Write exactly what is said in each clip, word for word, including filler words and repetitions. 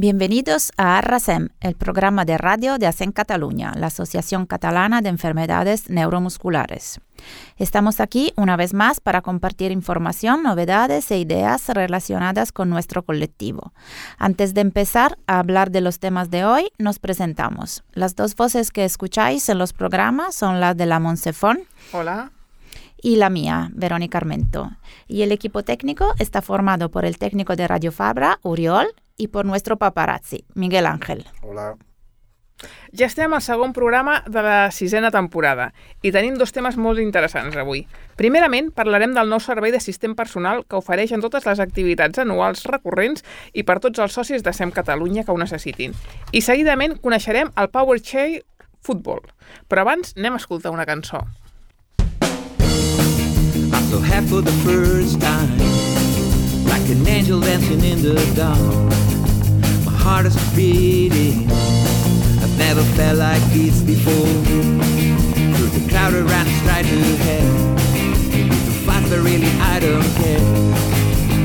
Bienvenidos a ARRASEM, el programa de radio de ASEM Cataluña, la Asociación Catalana de Enfermedades Neuromusculares. Estamos aquí una vez más para compartir información, novedades e ideas relacionadas con nuestro colectivo. Antes de empezar a hablar de los temas de hoy, nos presentamos. Las dos voces que escucháis en los programas son las de la Monsefón. Hola. Y la mía, Verónica Armento. Y el equipo técnico está formado por el técnico de Radio Fabra, Oriol, i per nuestro paparazzi, Miguel Ángel. Hola. Ja estem al segon programa de la sisena temporada i tenim dos temes molt interessants avui. Primerament, parlarem del nou servei d'assistent personal que ofereix en totes les activitats anuals recurrents i per tots els socis de ASEM Catalunya que ho necessitin. I seguidament coneixerem el Power Chair Futbol. Però abans anem a escoltar una cançó. I'm so happy for the first time, like an angel dancing in the dark. My heart is beating, I've never felt like this before. Through the crowd around straight ahead, too fast but really I don't care.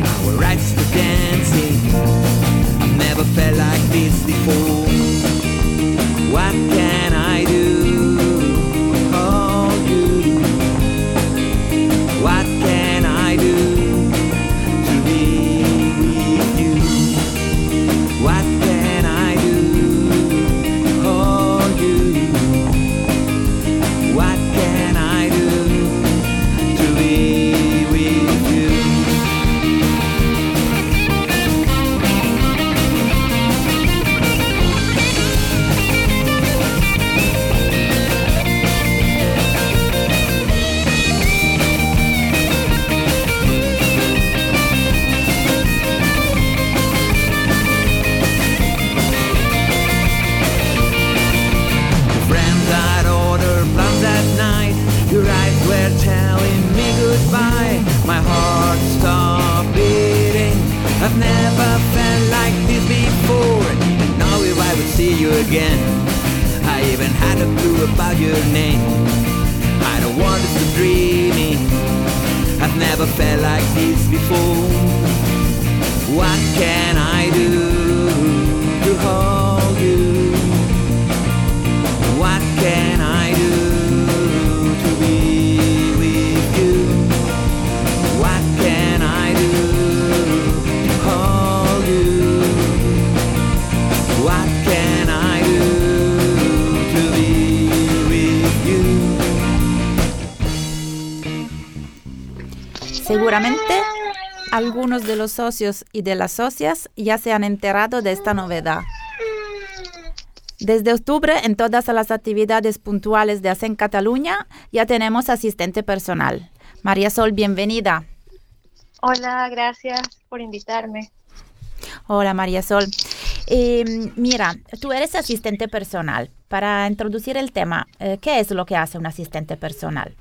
Our rights to dancing, I've never felt like this before. What can I do? Oh, you. What can I do? What can I do? Oh, you. What can I do to be with you? Your eyes were telling me goodbye. My heart stopped beating. I've never felt like this before. Didn't know if I would see you again. I even had a clue about your name. I don't want us to dreaming. I've never felt like this before. What can I do to hold you? What can I do? Seguramente algunos de los socios y de las socias ya se han enterado de esta novedad. Desde octubre, en todas las actividades puntuales de ASEM Cataluña, ya tenemos asistente personal. María Sol, bienvenida. Hola, gracias por invitarme. Hola, María Sol. Eh, mira, tú eres asistente personal. Para introducir el tema, eh, ¿qué es lo que hace un asistente personal?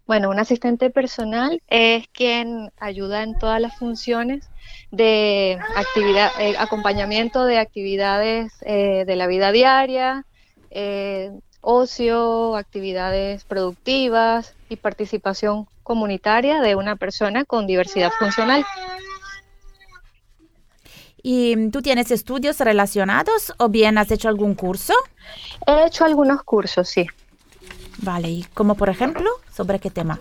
Bueno, un asistente personal es quien ayuda en todas las funciones de actividad, eh, acompañamiento de actividades eh, de la vida diaria, eh, ocio, actividades productivas y participación comunitaria de una persona con diversidad funcional. ¿Y tú tienes estudios relacionados o bien has hecho algún curso? He hecho algunos cursos, sí. Vale, ¿y como por ejemplo? ¿Sobre qué tema?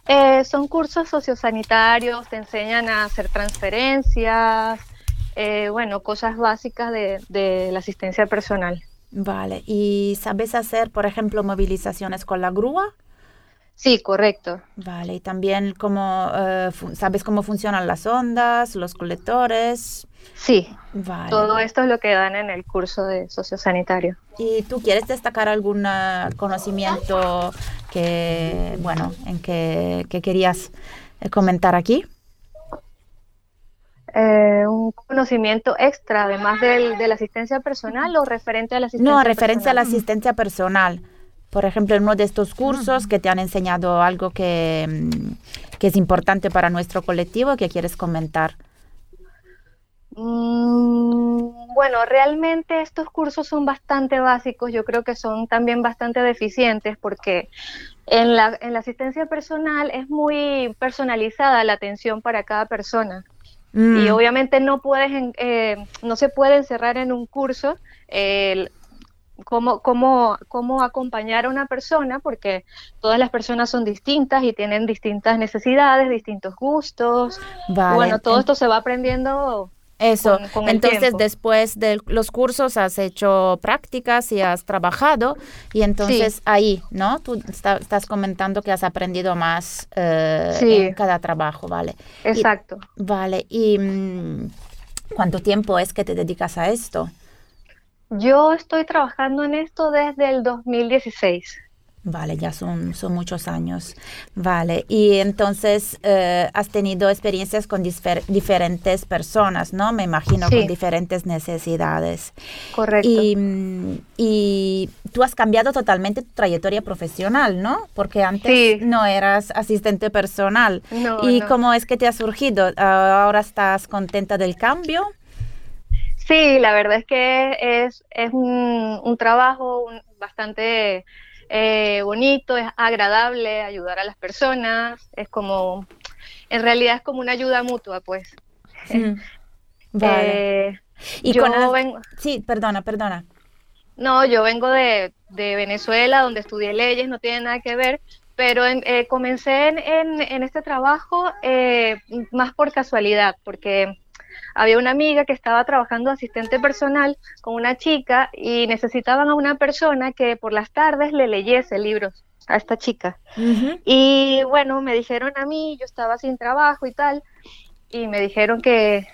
Eh, son cursos sociosanitarios, te enseñan a hacer transferencias, eh, bueno, cosas básicas de, de la asistencia personal. Vale, ¿y sabes hacer, por ejemplo, movilizaciones con la grúa? Sí, correcto. Vale, y también cómo, eh, fu- ¿sabes cómo funcionan las ondas, los colectores? Sí, Vale. todo esto es lo que dan en el curso de sociosanitario. ¿Y tú quieres destacar algún eh, conocimiento que, bueno, en que, que querías eh, comentar aquí? Eh, un conocimiento extra, además del, de la asistencia personal o referente a la asistencia No, referencia a la personal. asistencia personal. Por ejemplo, en uno de estos cursos que te han enseñado algo que, mm, que es importante para nuestro colectivo, que quieres comentar. Mm, bueno, realmente estos cursos son bastante básicos, yo creo que son también bastante deficientes porque en la, en la asistencia personal es muy personalizada la atención para cada persona. Mm. Y obviamente no puedes, eh, no se puede encerrar en un curso eh, cómo, cómo, cómo acompañar a una persona, porque todas las personas son distintas y tienen distintas necesidades, distintos gustos. Vale. Y bueno, todo esto se va aprendiendo. Eso, con, con el entonces tiempo. Después de los cursos has hecho prácticas y has trabajado y entonces sí. ahí, ¿no? Tú está, estás comentando que has aprendido más eh, sí. en cada trabajo, ¿vale? Exacto. Y, vale, ¿y mmm, cuánto tiempo es que te dedicas a esto? Yo estoy trabajando en esto desde el dos mil dieciséis. Vale, ya son, son muchos años. Vale, y entonces eh, has tenido experiencias con difer- diferentes personas, ¿no? Me imagino sí. con diferentes necesidades. Correcto. Y, y tú has cambiado totalmente tu trayectoria profesional, ¿no? Porque antes sí. no eras asistente personal. No, ¿Y no. cómo es que te ha surgido? Uh, ¿Ahora estás contenta del cambio? Sí, la verdad es que es, es un, un trabajo un, bastante... Eh, bonito, es agradable ayudar a las personas, es como, en realidad es como una ayuda mutua, pues. Mm, vale. Eh, y yo con el... vengo... Sí, perdona, perdona. No, yo vengo de, de Venezuela, donde estudié leyes, no tiene nada que ver, pero en, eh, comencé en, en, en este trabajo eh, más por casualidad, porque... Había una amiga que estaba trabajando asistente personal con una chica y necesitaban a una persona que por las tardes le leyese libros a esta chica. Uh-huh. Y bueno, me dijeron a mí, yo estaba sin trabajo y tal, y me dijeron que,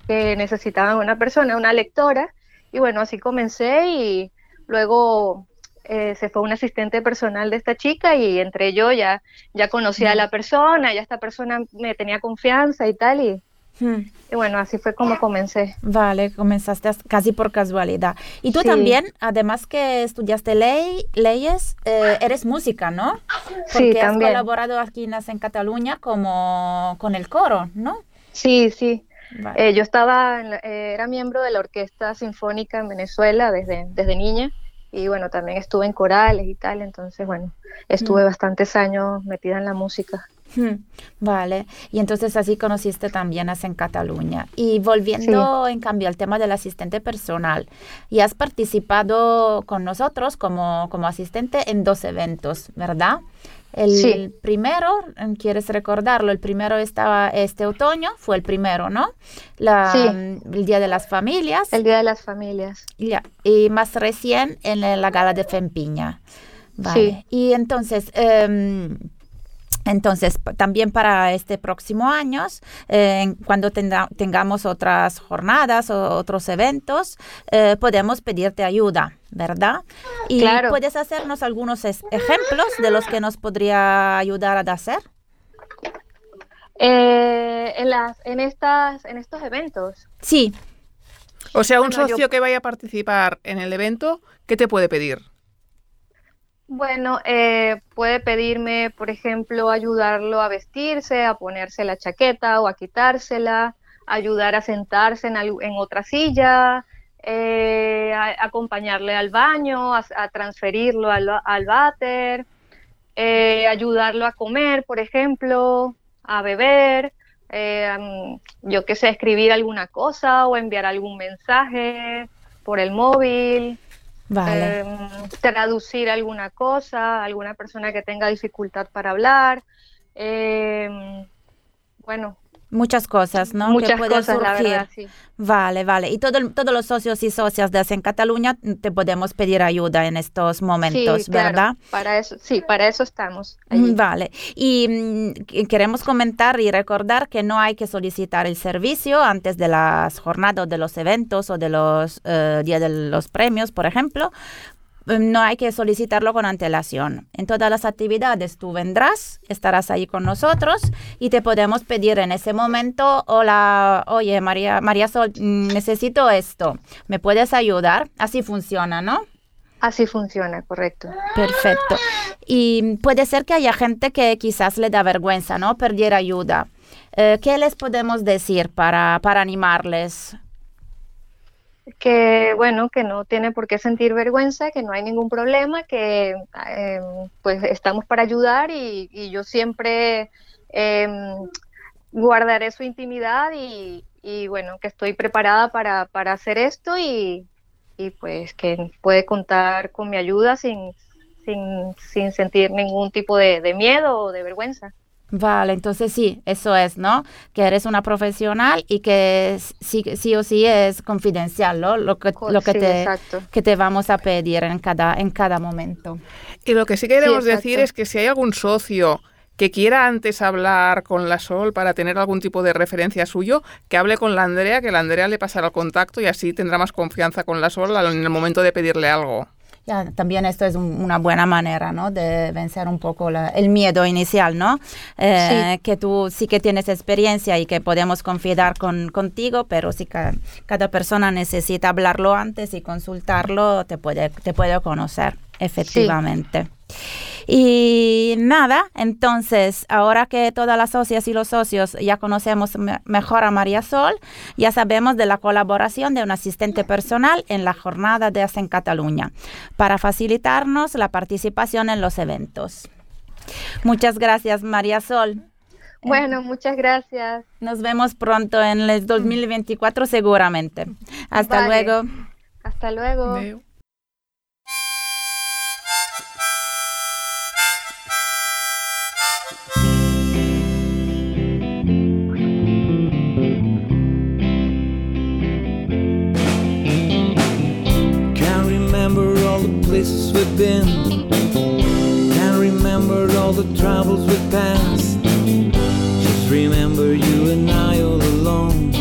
que necesitaban una persona, una lectora, y bueno, así comencé y luego eh, se fue un asistente personal de esta chica y entre yo ya, ya conocía uh-huh. a la persona, ya esta persona me tenía confianza y tal, y Hmm. Y bueno, así fue como comencé. Vale, comenzaste casi por casualidad. Y tú sí. también, además que estudiaste ley, leyes, eh, eres música, ¿no? Porque sí, has también. colaborado aquí en Cataluña como con el coro, ¿no? Sí, sí. Vale. Eh, yo estaba, en la, eh, era miembro de la Orquesta Sinfónica en Venezuela desde, desde niña. Y bueno, también estuve en corales y tal. Entonces, bueno, estuve hmm. bastantes años metida en la música. Hmm, vale, y entonces así conociste también a En Cataluña. Y volviendo sí. en cambio al tema del asistente personal, y has participado con nosotros como, como asistente en dos eventos, ¿verdad? El sí. primero, ¿quieres recordarlo? El primero estaba este otoño, fue el primero, ¿no? La, sí. El Día de las Familias. El Día de las Familias. Ya, y más recién en la Gala de Fempiña. Vale, sí. y entonces... Um, Entonces, también para este próximo año, eh, cuando tenga, tengamos otras jornadas o otros eventos, eh, podemos pedirte ayuda, ¿verdad? Y claro. ¿puedes hacernos algunos es- ejemplos de los que nos podría ayudar a hacer? Eh, en, las, en, estas, en estos eventos. Sí. O sea, un bueno, socio yo... que vaya a participar en el evento, ¿qué te puede pedir? Bueno, eh, puede pedirme, por ejemplo, ayudarlo a vestirse, a ponerse la chaqueta o a quitársela, ayudar a sentarse en, al- en otra silla, eh, a- acompañarle al baño, a, a transferirlo al, al váter, eh, ayudarlo a comer, por ejemplo, a beber, eh, um, yo qué sé, escribir alguna cosa o enviar algún mensaje por el móvil. Vale. Eh, traducir alguna cosa, alguna persona que tenga dificultad para hablar, eh, bueno. Muchas cosas, ¿no? Muchas que pueden cosas, surgir. la verdad, sí. Vale, vale. Y todo, todos los socios y socias de En Cataluña te podemos pedir ayuda en estos momentos, sí, claro, ¿verdad? Para eso, sí, para eso estamos allí. Vale. Y mm, queremos comentar y recordar que no hay que solicitar el servicio antes de las jornadas o de los eventos o de los uh, días de los premios, por ejemplo. No hay que solicitarlo con antelación. En todas las actividades tú vendrás, estarás ahí con nosotros y te podemos pedir en ese momento, hola, oye, María, María Sol, necesito esto, ¿me puedes ayudar? Así funciona, ¿no? Así funciona, correcto. Perfecto. Y puede ser que haya gente que quizás le da vergüenza, ¿no? Pedir ayuda. Eh, ¿Qué les podemos decir para, para animarles? Que bueno, que no tiene por qué sentir vergüenza, que no hay ningún problema, que eh, pues estamos para ayudar y, y yo siempre eh, guardaré su intimidad y, y bueno, que estoy preparada para, para hacer esto y, y pues que puede contar con mi ayuda sin, sin, sin sentir ningún tipo de, de miedo o de vergüenza. Vale, entonces sí, eso es, ¿no? Que eres una profesional y que sí, sí o sí es confidencial, ¿no? Lo que, lo que, sí, te, exacto. que te vamos a pedir en cada, en cada momento. Y lo que sí queremos Sí, decir es que si hay algún socio que quiera antes hablar con la Sol para tener algún tipo de referencia suyo, que hable con la Andrea, que la Andrea le pasará el contacto y así tendrá más confianza con la Sol en el momento de pedirle algo. Ya, también esto es un, una buena manera, ¿no? De vencer un poco la, el miedo inicial, ¿no? Eh, sí. Que tú sí que tienes experiencia y que podemos confiar con, contigo, pero si ca, cada persona necesita hablarlo antes y consultarlo, te puede, te puede conocer, efectivamente. Sí. Y nada, entonces, ahora que todas las socias y los socios ya conocemos me- mejor a María Sol, ya sabemos de la colaboración de un asistente personal en la jornada de Hacen Cataluña, para facilitarnos la participación en los eventos. Muchas gracias, María Sol. Bueno, muchas gracias. Nos vemos pronto en el dos mil veinticuatro seguramente. Hasta Vale. luego. Hasta luego. Adeu. Places we've been, can't remember all the travels we've passed. Just remember you and I all alone,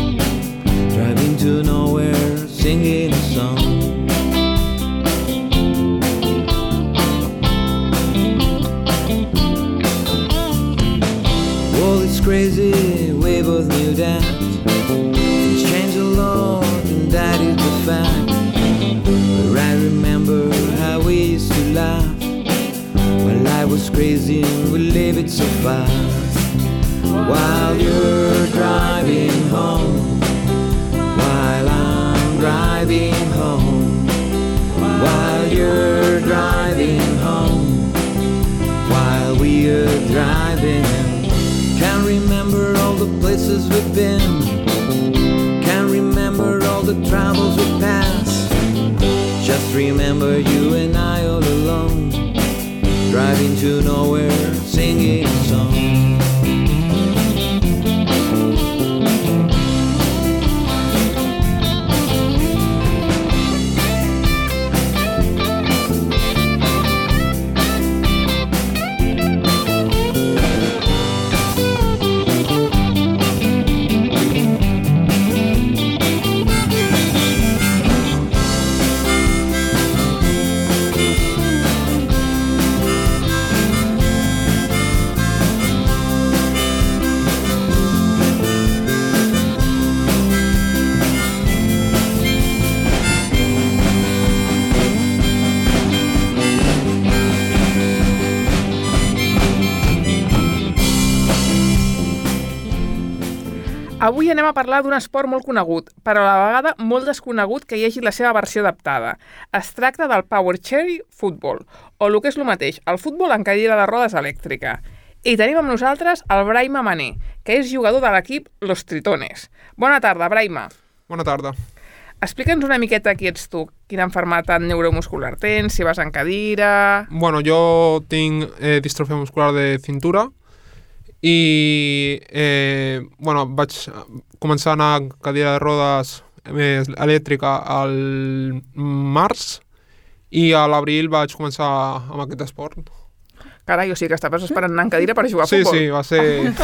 driving to nowhere, singing a song. Well, it's crazy, we both knew that. Things change a lot, and that is the fact. But I remember how we used to laugh when life was crazy and we lived it so fast. While you're driving home, while I'm driving home, while you're driving home, while we are driving. Can't remember all the places we've been, can't remember all the travels we've passed. Just remember you and I all alone, driving to nowhere, singing a song. Avui anem a parlar d'un esport molt conegut, però a la vegada molt desconegut que hi hagi la seva versió adaptada. Es tracta del Power Chair Football, o el que és el mateix, el futbol en cadira de rodes elèctrica. I tenim amb nosaltres el Braima Mané, que és jugador de l'equip Los Tritones. Bona tarda, Braima. Bona tarda. Explica'ns una miqueta qui ets tu, quina malaltia neuromuscular tens, si vas en cadira... Bueno, jo tinc eh, distrofia muscular de cintura i eh, bueno, vaig començar a anar a cadira de rodes eh, elèctrica al març i a l'abril vaig començar amb aquest esport. Carai, o sigui que estaves esperant anar en cadira per jugar a sí, futbol. Sí, sí, va ser,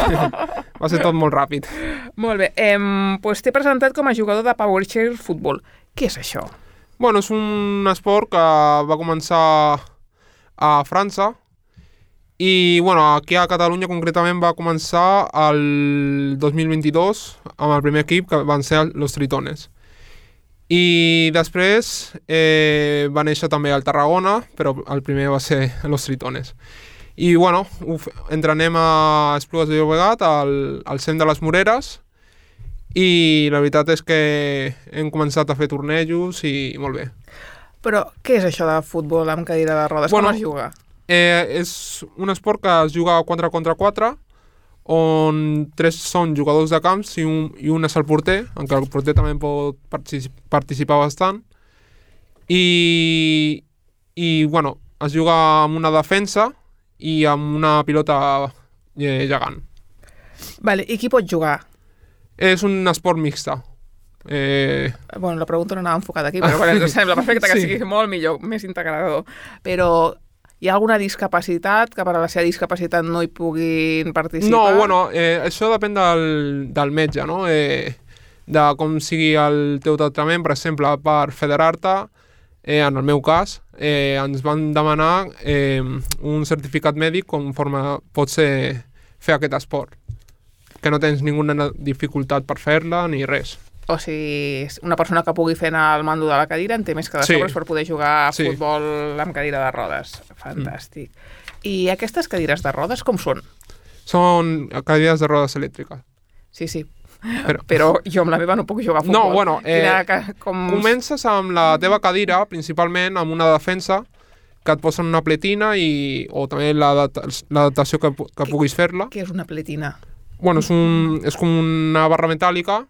va ser tot molt ràpid. Molt bé, eh, doncs t'he presentat com a jugador de Power Chair Football. Què és això? Bueno, és un esport que va començar a França i bueno, aquí a Catalunya concretament va començar el dos mil vint-i-dos amb el primer equip que van ser Los Tritones. I després eh, va néixer també al Tarragona, però el primer va ser Los Tritones. I bueno, uf, entrenem a Esplugues de Llobregat, al, al cent de les Moreres, i la veritat és que hem començat a fer tornejos i molt bé. Però què és això de futbol amb cadira de rodes? Bueno, com es juga? Eh, és un esport que es juga quatre contra quatre, on tres són jugadors de camps i un, i un és el porter, en què el porter també pot particip participar bastant. I, i bueno, es juga amb una defensa i amb una pilota eh, gegant. Vale, i qui pot jugar? És un esport mixta. Eh... Bueno, la pregunta no anava enfocada aquí, però bueno, ens sembla perfecte que sí. sigui molt millor, més integrador. Però hi ha alguna discapacitat que per a la seva discapacitat no hi puguin participar? No, bueno, eh, això depèn del, del metge, no? Eh, de com sigui el teu tractament. Per exemple, per federar-te, eh, en el meu cas, eh, ens van demanar eh, un certificat mèdic conforme pots eh, fer aquest esport. Que no tens ninguna dificultat per fer-la ni res. O sigui, una persona que pugui fer anar al mando de la cadira en té més que de sobres sí. per poder jugar a sí. futbol amb cadira de rodes. Fantàstic. Mm. I aquestes cadires de rodes com són? Són cadires de rodes elèctriques. Sí, sí. Però, Però jo amb la meva no puc jugar a futbol. No, bueno, eh, Quina, com... comences amb la teva cadira, principalment amb una defensa, que et posen una pletina i, o també l'adaptació que, que puguis fer-la. Què és una pletina? Bueno, és, un, és com una barra metàl·lica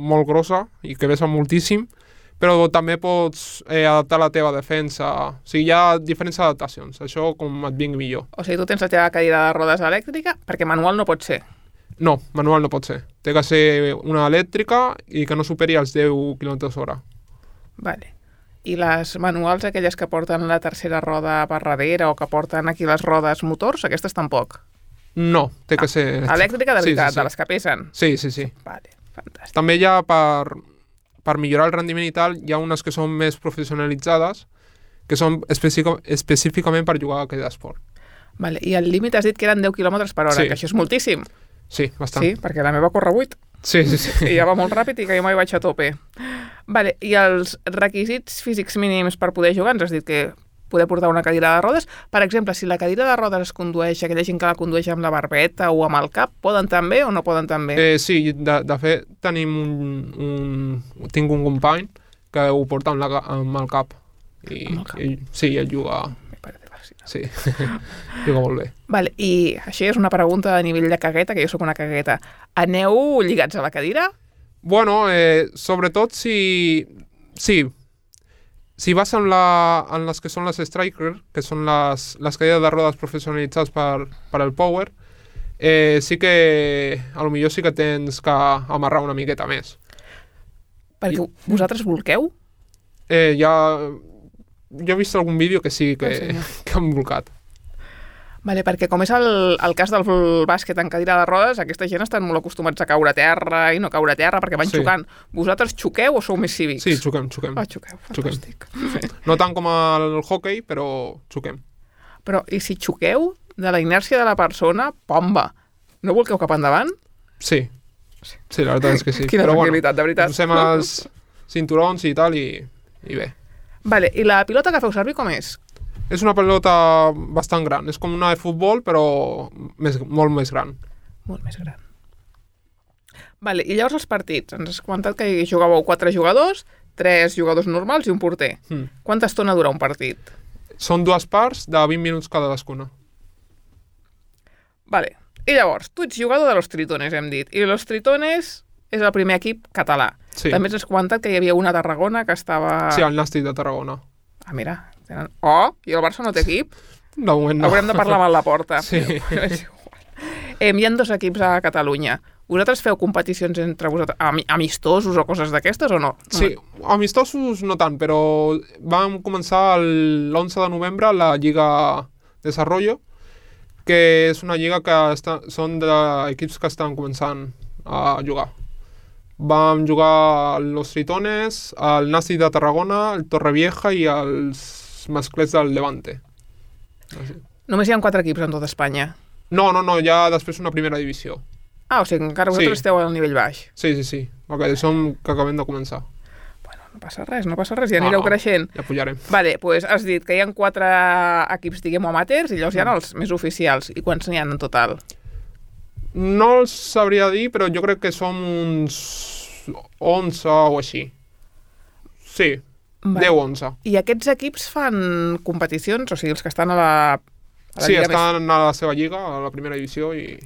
molt grossa i que pesa moltíssim, però també pots eh, adaptar la teva defensa. O sigui, hi ha diferents adaptacions, això com et vingui millor. O sigui, tu tens la teva cadira de rodes elèctrica perquè manual no pot ser. No, manual no pot ser. Té que ser una elèctrica i que no superi els deu quilòmetres hora. Vale. I les manuals, aquelles que porten la tercera roda per darrere o que porten aquí les rodes motors, aquestes tampoc? No, té que ah, ser... Elèctrica de veritat, sí, sí, sí. de les que pesen? Sí, sí, sí. Vale, fantàstic. També hi ha, per, per millorar el rendiment i tal, hi ha unes que són més professionalitzades, que són específicament per jugar a aquest esport. Vale, i el límit has dit que eren deu quilòmetres per hora, sí. que això és moltíssim. Sí, bastant. Sí, perquè la meva corre vuit. Sí, sí, sí. I ja va molt ràpid i que jo mai vaig a tope. Vale, i els requisits físics mínims per poder jugar, ens has dit que poder portar una cadira de rodes. Per exemple, si la cadira de rodes es condueix, aquella gent que la condueix amb la barbeta o amb el cap, poden també o no poden també? Eh, sí, de, de fet, tenim un, un... tinc un company que ho porta amb, la, amb el cap. I, amb el cap? I, sí, ell juga... Me parece fascinant. Sí, juga molt bé. Vale, i això és una pregunta a nivell de cagueta, que jo sóc una cagueta. Aneu lligats a la cadira? Bueno, eh, sobretot si... Sí, si vas en, la, en les que són les Striker, que són les, les cadires de rodes professionalitzades per, per el Power, eh, sí que a lo millor sí que tens que amarrar una miqueta més. Perquè I, vosaltres volqueu? Eh, ja, jo he vist algun vídeo que sí, que, ah, sí, que han volcat. Vale, perquè com és el, el cas del bàsquet en cadira de rodes, aquesta gent estan molt acostumats a caure a terra i no caure a terra perquè van sí. xocant. Vosaltres xoqueu o sou més cívics? Sí, xoquem, xoquem. Ah, xoqueu, fantàstic. Xoquem. No tant com el hockey, però xoquem. Però, i si xoqueu, de la inèrcia de la persona, pomba, no volqueu cap endavant? Sí, sí, la veritat és que sí. Quina tranquil·litat, de veritat. Posem els cinturons i tal i, i bé. Vale, i la pilota que feu servir com és? És una pelota bastant gran. És com una de futbol, però més, molt més gran. Molt més gran. Vale, i llavors els partits. Ens has comentat que hi jugàveu quatre jugadors, tres jugadors normals i un porter. Mm. Quanta estona dura un partit? Són dues parts de vint minuts cadascuna. Vale. I llavors, tu ets jugador de Los Tritones, hem dit. I Los Tritones és el primer equip català. Sí. També ens has comentat que hi havia una a Tarragona que estava... Sí, el Nàstic de Tarragona. Ah, mira. Tenen... Oh, i el Barça no té equip? De moment no. Haurem de parlar amb la porta. Sí. eh, hi ha dos equips a Catalunya. Vosaltres feu competicions entre vosaltres, amistosos o coses d'aquestes o no? Sí, amistosos no tant, però vam començar l'onze de novembre la Lliga Desarrollo, que és una lliga que està, són d'equips que estan començant a jugar. Vam jugar Los Tritones, el Nàstic de Tarragona, el Torrevieja i els masclets del Levante. Així. Només hi ha quatre equips en tota Espanya? No, no, no, hi ha després una primera divisió. Ah, o sigui, encara vosaltres sí. esteu al nivell baix. Sí, sí, sí. Okay, som que acabem de començar. Bueno, no passa res, no passa res, ja anireu no, no. creixent. Ja pujarem. Vale, doncs pues has dit que hi ha quatre equips, diguem, amateurs, i llavors hi ha els més oficials. I quants n'hi ha en total? No els sabria dir, però jo crec que som uns onze o així. Sí, vale. deu o onze. I aquests equips fan competicions? O sigui, els que estan a la, a la sí, lliga estan més... a la seva lliga, a la primera divisió i...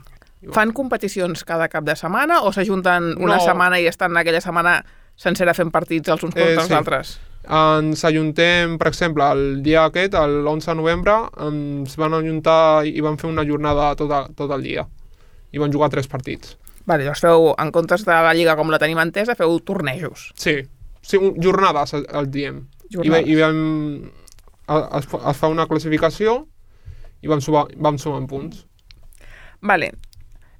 Fan competicions cada cap de setmana o s'ajunten una No. setmana i estan aquella setmana sencera fent partits els uns contra Eh, els sí. altres? Ens ajuntem, per exemple, el dia aquest, l'onze de novembre, ens van ajuntar i van fer una jornada tot, a, tot el dia. I van jugar tres partits. Vale, llavors feu, en comptes de la Lliga com la tenim entesa, feu tornejos. Sí, sí un, jornades, el, el diem. Jornades. I, i vam, es, es fa una classificació i vam, subar, vam sumar punts. Vale,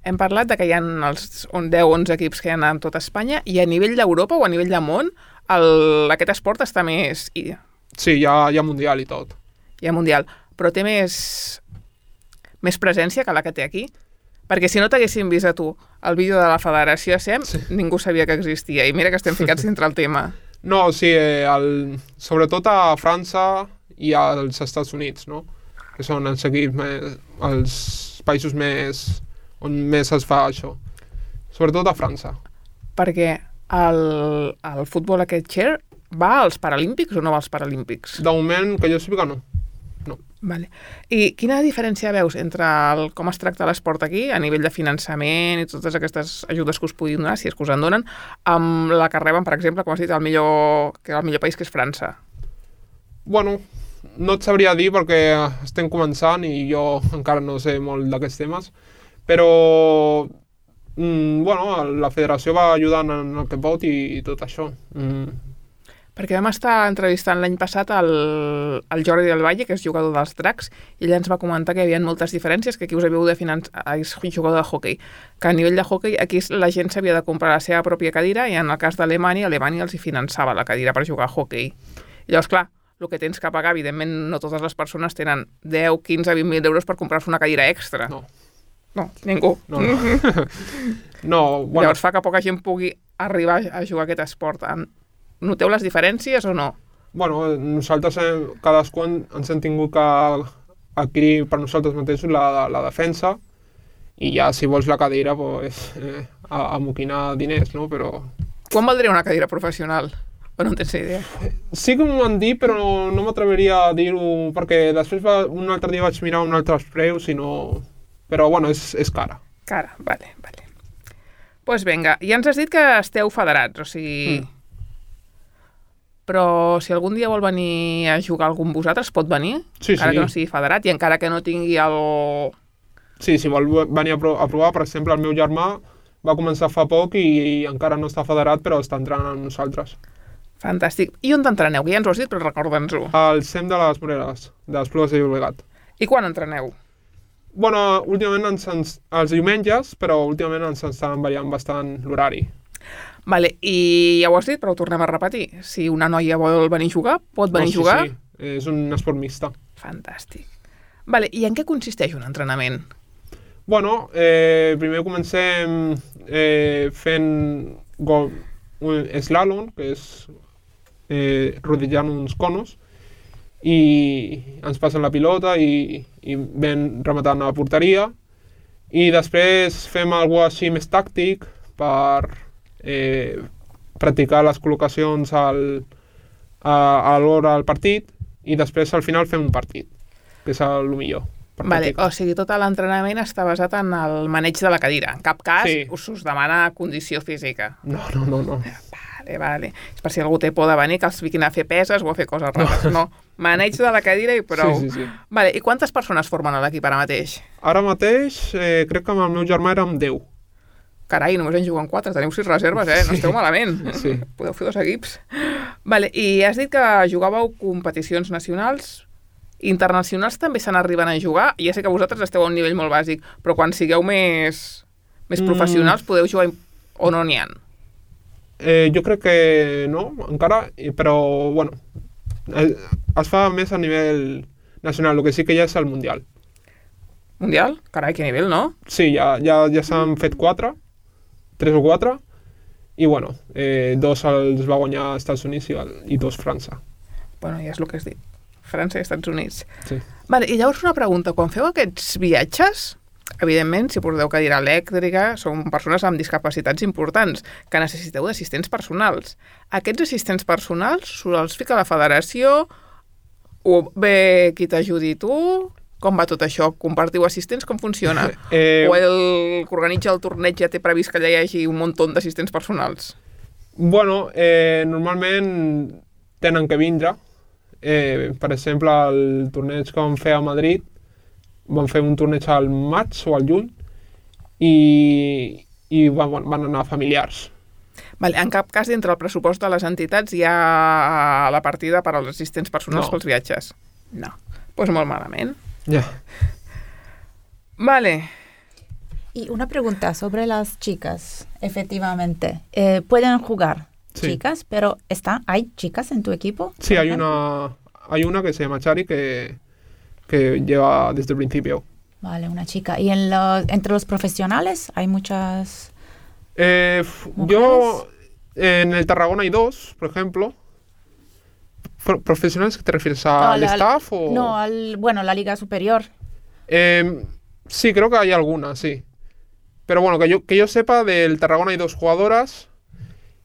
hem parlat de que hi ha els deu onze equips que hi ha en tota Espanya i a nivell d'Europa o a nivell de món el, aquest esport està més... Hi, Sí, hi ha, hi ha mundial i tot. hi ha mundial, però té més, més presència que la que té aquí. Perquè si no t'haguessin vist a tu el vídeo de la Federació A S E M, sí. Ningú sabia que existia. I mira que estem ficats dintre el tema. No, sí, eh, el, sobretot a França i als Estats Units, no? Que són els equips més, els països més on més es fa això. Sobretot a França. Perquè el, el futbol aquest chair va als Paralímpics o no va als Paralímpics? De moment, que jo sàpiga, no. no. Vale. I quina diferència veus entre el, com es tracta l'esport aquí, a nivell de finançament i totes aquestes ajudes que us puguin donar, si és que us en donen, amb la que reben, per exemple, com has dit, el millor, que el millor país, que és França? Bueno, no et sabria dir perquè estem començant i jo encara no sé molt d'aquests temes, però mm, bueno, la federació va ajudant en el que pot i, i tot això. Mm. Perquè vam estar entrevistant l'any passat el, el Jordi del Valle, que és jugador dels Dracs, i ell ens va comentar que hi havia moltes diferències, que aquí us havíeu de finançar, és jugador de hoquei, que a nivell de hoquei aquí la gent s'havia de comprar la seva pròpia cadira i en el cas d'Alemanya, Alemanya els hi finançava la cadira per jugar a hoquei. I llavors, clar, el que tens que pagar, evidentment, no totes les persones tenen deu, quinze, vint mil euros per comprar-se una cadira extra. No. No, ningú. No, no. no bueno, Llavors fa que poca gent pugui arribar a jugar a aquest esport. Noteu les diferències o no? Bueno, nosaltres hem, cadascú ens hem tingut que adquirir per nosaltres mateixos la, la defensa i ja si vols la cadira pues, eh, amoquinar diners, no? Però... Quan valdria una cadira professional? O no en tens idea? Sí que m'ho han dit, però no, no m'atreveria a dir-ho perquè després va, un altre dia vaig mirar un altre preus i no... Però bueno, és, és cara. Cara, vale, vale. Doncs pues vinga, ja ens has dit que esteu federats, o sigui... Mm. Però si algun dia vol venir a jugar algun vosaltres, pot venir? Sí, encara sí. que no sigui federat i encara que no tingui el... Sí, si vol venir a, pro a provar, per exemple, el meu germà va començar fa poc i, i encara no està federat, però està entrant amb nosaltres. Fantàstic. I on t'entreneu? Que ja ens ho has dit, però recorda'ns-ho. Al C E M de les Moreres, de les Plugues de Llobregat. I quan entreneu? Bueno, últimament ens, ens, els diumenges, però últimament ens estan variant bastant l'horari. Vale, i ja ho has dit, però ho tornem a repetir. Si una noia vol venir a jugar, pot venir oh, sí, a jugar? Sí, és un esport mixta. Fantàstic. Vale, i en què consisteix un entrenament? Bueno, eh, primer comencem eh, fent gol, un slalom, que és eh, rodejant uns conos, i ens passen la pilota i, i ven rematant a la porteria, i després fem alguna cosa així més tàctic per eh, practicar les col·locacions al, a, a l'hora del partit, i després al final fem un partit, que és el millor. Vale, o sigui, tot l'entrenament està basat en el maneig de la cadira. En cap cas sí. us, us demana condició física. No, no, no, no. Vale, vale. És per si algú té por de venir, que els fiquin a fer peses o a fer coses rares. No, maneig de la cadira i prou. Sí, sí, sí. Vale, i quantes persones formen a l'equip ara mateix? Ara mateix eh, crec que amb el meu germà érem deu. Carai, només en juguen quatre, teniu sis reserves, eh? No esteu malament. Sí. Podeu fer dos equips. Vale, i has dit que jugàveu competicions nacionals. Internacionals també se n'arriben a jugar. Ja sé que vosaltres esteu a un nivell molt bàsic, però quan sigueu més, més professionals mm. podeu jugar o no n'hi ha? Eh, jo crec que no, encara, però, bueno, es fa més a nivell nacional, el que sí que ja és el Mundial. Mundial? Carai, que nivell, no? Sí, ja, ja, ja s'han fet quatre, tres o quatre, i bueno, eh, dos els va guanyar Estats Units i, i dos França. Bueno, ja és el que has dit. França i Estats Units. Sí. Vale, i llavors una pregunta. Quan feu aquests viatges, evidentment, si porteu cadira elèctrica, són persones amb discapacitats importants, que necessiteu d'assistents personals. Aquests assistents personals els fica la federació o bé qui t'ajudi tu? Com va tot això? Compartiu assistents? Com funciona? Eh, o el que organitza el torneig ja té previst que allà hi hagi un munt d'assistents personals? Bueno, eh, normalment tenen que vindre. Eh, per exemple, el torneig que vam fer a Madrid, vam fer un torneig al maig o al juny i, i van, van anar familiars. Vale, en cap cas, dintre el pressupost de les entitats hi ha la partida per als assistents personals No. pels viatges? No. Doncs pues molt malament. Ya. Vale. Y una pregunta sobre las chicas, efectivamente. Eh, ¿Pueden jugar Sí. chicas? Pero está, ¿hay chicas en tu equipo? Sí, por hay ejemplo? una, hay una que se llama Chari que, que lleva desde el principio. Vale, una chica. ¿Y en los, entre los profesionales hay muchas...? Eh, f- ¿Mujeres? yo, en el Tarragona hay dos, por ejemplo. Pro- ¿Profesionales que te refieres Ah, al la- staff o...? No, al, bueno, la liga superior. Eh, sí, creo que hay alguna, sí. Pero bueno, que yo, que yo sepa, del Tarragona hay dos jugadoras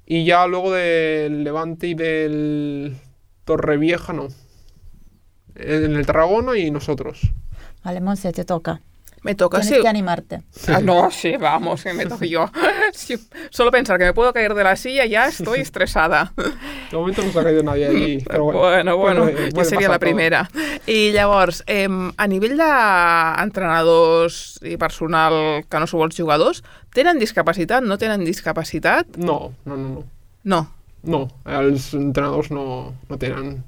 y ya luego del Levante y del Torrevieja no. En el Tarragona y nosotros. Vale, Monse, te toca. Me toca, Tienes sí. que animarte. Ah, no, sí, vamos, que me toco yo. Sí, solo pensar que me puedo caer de la silla ya estoy estresada. De momento no se ha caído nadie allí, pero bueno. Bueno, bueno, puede- ja puede seria pasar la todo. primera. I llavors, eh, a nivell d'entrenadors i personal que no sou els jugadors, tenen discapacitat, no tenen discapacitat? No, no, no, no. No, No, els entrenadors no, no tenen...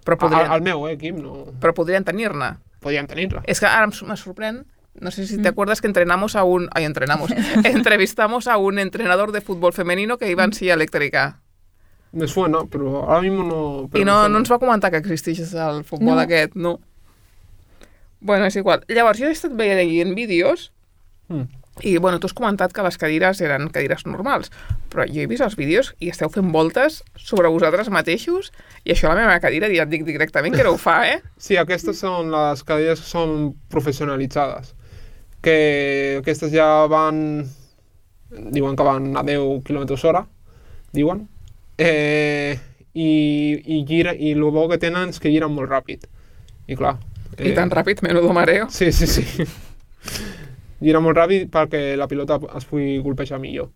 però Al, podrien, al meu equip no però podrien tenir-ne. podien tenir-la. Es que ahora me sorprende, no sé si te acuerdas que entrenamos a un... Ay, entrenamos. Entrevistamos a un entrenador de fútbol femenino que iba en silla eléctrica. Me suena, però ara mismo no... però I me no, suena. no ens va comentar que existeix el futbol No. aquest, no. Bueno, és igual. Llavors, jo he estat veient vídeos Mm. i, bueno, tu has comentat que les cadires eren cadires normals, però jo he vist els vídeos i esteu fent voltes sobre vosaltres mateixos i això a la meva cadira ja et dic directament que no ho fa, eh? Sí, aquestes són les cadires que són professionalitzades. Que aquestes ja van... Diuen que van a deu quilòmetres hora, diuen. Eh, i, i, gira, I el bo que tenen és que giren molt ràpid. I clar... I tan ràpid, menudo mareo. Sí, sí, sí. Gira molt ràpid perquè la pilota es pugui golpejar millor.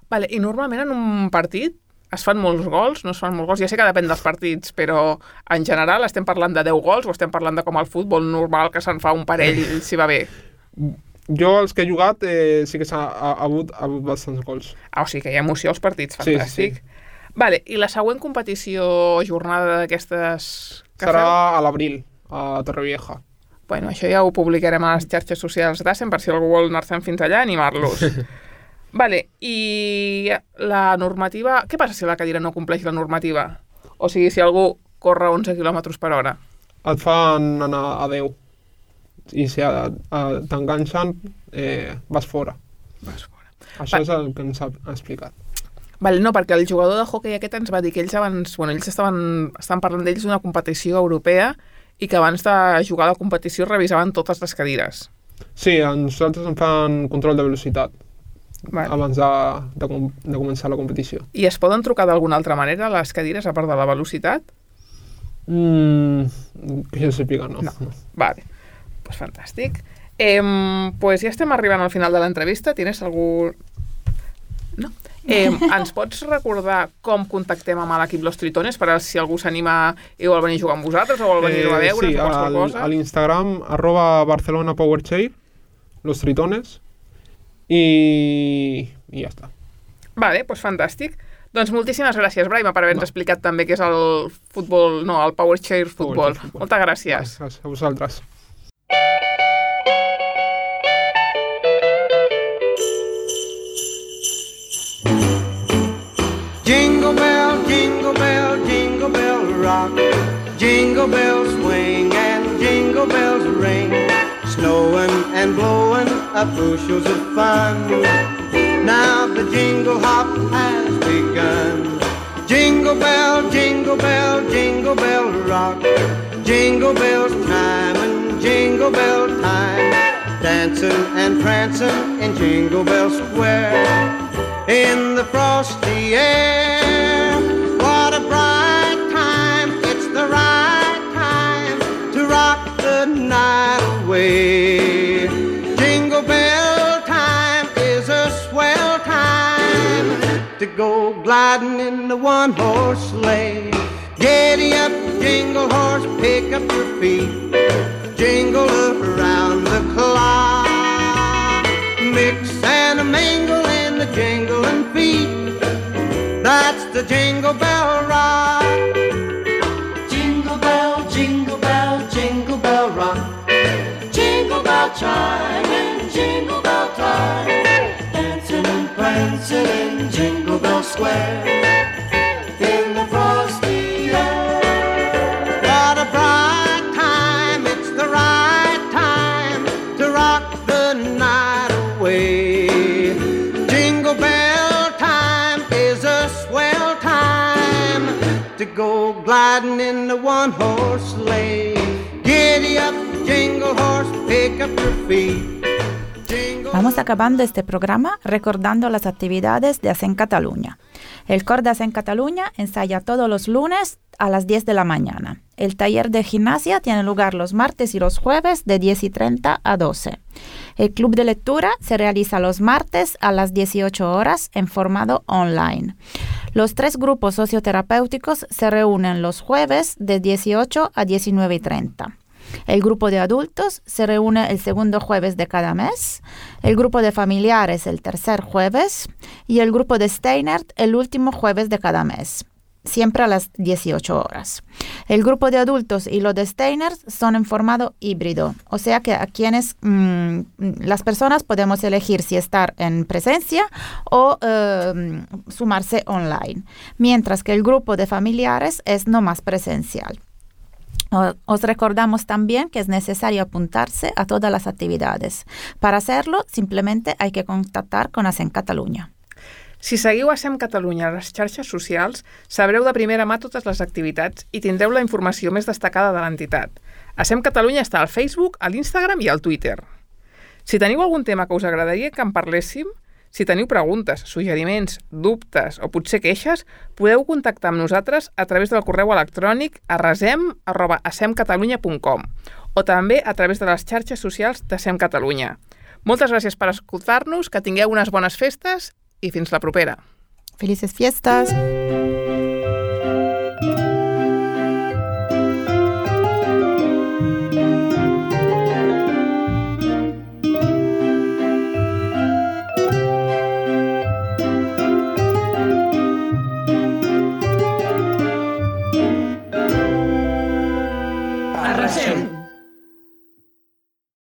Vale, i normalment en un partit es fan molts gols, no es fan molts gols, ja sé que depèn dels partits, però en general estem parlant de deu gols o estem parlant de com el futbol normal que se'n fa un parell si va bé? Jo, els que he jugat, eh, sí que s'ha ha, ha hagut, ha hagut bastants gols. Ah, o sigui que hi ha emoció als partits, Sí, fantàstic. sí, Vale, i la següent competició, jornada d'aquestes que Serà feu? a l'abril, a Torrevieja. Bueno, això ja ho publicarem a les xarxes socials d'Assen per si algú vol anar-se'n fins allà, animar-los. Vale, i la normativa... Què passa si la cadira no compleix la normativa? O sigui, si algú corre onze quilòmetres per hora. Et fan anar a deu. I si a- a- t'enganxen, eh, vas fora. Vas fora. Això Va. és el que ens ha ha explicat. Vale, no, perquè el jugador de hoquei aquest ens va dir que ells abans... Bueno, ells estaven, estaven parlant d'ells d'una competició europea i que abans de jugar a la competició revisaven totes les cadires. Sí, a nosaltres ens fan control de velocitat Vale. abans de, de, com- de començar la competició. I es poden trucar d'alguna altra manera les cadires a part de la velocitat? Mm, que jo sàpiga, no. No. Vale, pues fantàstic. Eh, pues ja estem arribant al final de l'entrevista. Tienes algú... No? Eh, ens pots recordar com contactem amb l'equip Los Tritones per a si algú s'anima i vol venir a jugar amb vosaltres o vol venir a veure sí, o qualsevol al, cosa? a l'Instagram, arroba Barcelona Powerchair, Los Tritones, i, i ja està. Vale, doncs fantàstic. Doncs moltíssimes gràcies, Braima, per haver-nos explicat també què és el futbol, no, el Power Chair Futbol. Power Chair Futbol. Moltes gràcies. Gràcies a vosaltres. Jingle bell, jingle bell, jingle bell rock. Jingle bells swing and jingle bells ring. Snowing and blowing up bushels of fun. Now the jingle hop has begun. Jingle bell, jingle bell, jingle bell rock. Jingle bells chime and jingle bell time. Dancing and prancing in Jingle Bell Square. In the frosty air, what a bright time. It's the right time to rock the to go gliding in the one-horse sleigh. Giddy up, jingle horse, pick up your feet, jingle around the clock. Mix and a mingle in the jingling feet, that's the Jingle Bell Rock. Jingle bell, jingle bell, jingle bell rock. Jingle bell chime and jingle bell time, dancing and prancing in Jingle Bell Square, in the frosty air. What a bright time, it's the right time to rock the night away. Jingle bell time is a swell time to go gliding in the one-horse sleigh. Giddy up, jingle horse, pick up your feet. Vamos acabando este programa recordando las actividades de Hacen Cataluña. El coro de Hacen Cataluña ensaya todos los lunes a las diez de la mañana. El taller de gimnasia tiene lugar los martes y los jueves de diez y treinta a doce. El club de lectura se realiza los martes a las dieciocho horas en formato online. Los tres grupos socioterapéuticos se reúnen los jueves de dieciocho a diecinueve y treinta. El grupo de adultos se reúne el segundo jueves de cada mes, el grupo de familiares el tercer jueves y el grupo de Steinert el último jueves de cada mes, siempre a las dieciocho horas. El grupo de adultos y lo de Steinert son en formato híbrido, o sea que a quienes mmm, las personas podemos elegir si estar en presencia o eh, sumarse online, mientras que el grupo de familiares es no más presencial. Os recordamos también que es necesario apuntarse a todas las actividades. Para hacerlo, simplemente hay que contactar con Hacen Catalunya. Si seguiu Hacem Catalunya a les xarxes socials, sabreu de primera mà totes les activitats i tindreu la informació més destacada de l'entitat. Hacem Catalunya està al Facebook, a l'Instagram i al Twitter. Si teniu algun tema que us agradaria que en parléssim, si teniu preguntes, suggeriments, dubtes o potser queixes, podeu contactar amb nosaltres a través del correu electrònic a resem arroba hacemcatalunya punt com o també a través de les xarxes socials d'Hacem Catalunya. Moltes gràcies per escoltar-nos, que tingueu unes bones festes i fins la propera. Felices fiestas! Arrasem.